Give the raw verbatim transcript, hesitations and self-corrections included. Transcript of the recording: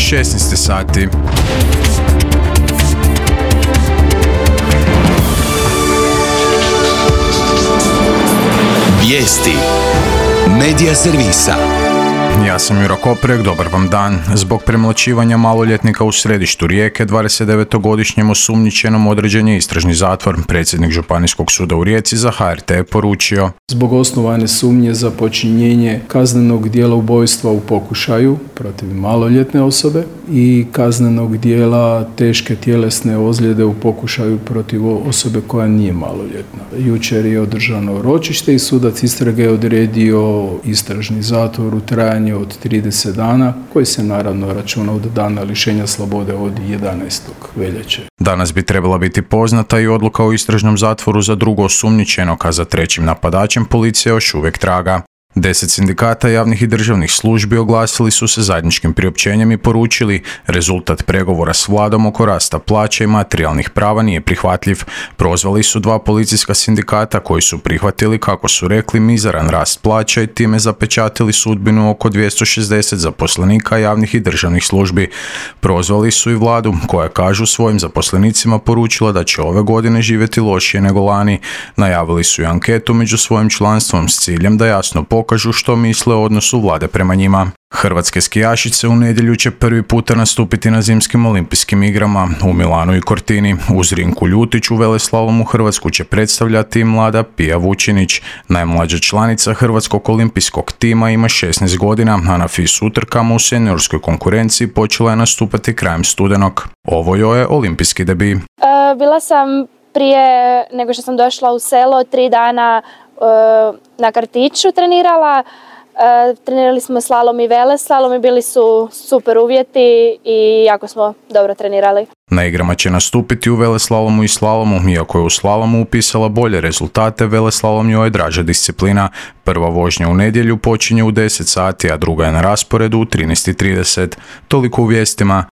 šesnaest sati. Vijesti Medija servisa. Ja sam Juro Koprek, dobar vam dan. Zbog premlaćivanja maloljetnika u središtu Rijeke, dvadesetdevetogodišnjem osumnjičenom određen je istražni zatvor. Predsjednik Županijskog suda u Rijeci za H R T je poručio: zbog osnovane sumnje za počinjenje kaznenog djela ubojstva u pokušaju protiv maloljetne osobe i kaznenog djela teške tjelesne ozljede u pokušaju protiv osobe koja nije maloljetna. Jučer je održano ročište i sudac istrage je odredio istražni zatvor u trajanju od trideset dana, koji se naravno računa od dana lišenja slobode od jedanaestog veljače. Danas bi trebala biti poznata i odluka o istražnom zatvoru za drugo osumnjičenog, a za trećim napadačem policija još uvijek traga. Deset sindikata javnih i državnih službi oglasili su se zajedničkim priopćenjem i poručili: rezultat pregovora s vladom oko rasta plaća i materijalnih prava nije prihvatljiv. Prozvali su dva policijska sindikata koji su prihvatili, kako su rekli, mizaran rast plaća i time zapečatili sudbinu oko dvjesto šezdeset zaposlenika javnih i državnih službi. Prozvali su i vladu, koja, kažu, svojim zaposlenicima poručila da će ove godine živjeti lošije nego lani. Najavili su i anketu među svojim članstvom s ciljem da jasno pokažu što misle o odnosu vlade prema njima. Hrvatske skijašice u nedjelju će prvi puta nastupiti na zimskim olimpijskim igrama u Milanu i Cortini. Uz Rinku Ljutić u veleslalomu Hrvatsku će predstavljati mlada Pija Vučinić. Najmlađa članica Hrvatskog olimpijskog tima ima šesnaest godina, a na FIS utrkama u seniorskoj konkurenciji počela je nastupati krajem studenog. Ovo joj je olimpijski debi. E, bila sam prije nego što sam došla u selo tri dana e, na kartiću trenirala. E, trenirali smo slalom i veleslalom i bili su super uvjeti i jako smo dobro trenirali. Na igrama će nastupiti u veleslalomu i slalomu, iako je u slalomu upisala bolje rezultate, veleslalom joj je draža disciplina. Prva vožnja u nedjelju počinje u deset sati, a druga je na rasporedu u trinaest i trideset. Toliko u vijestima.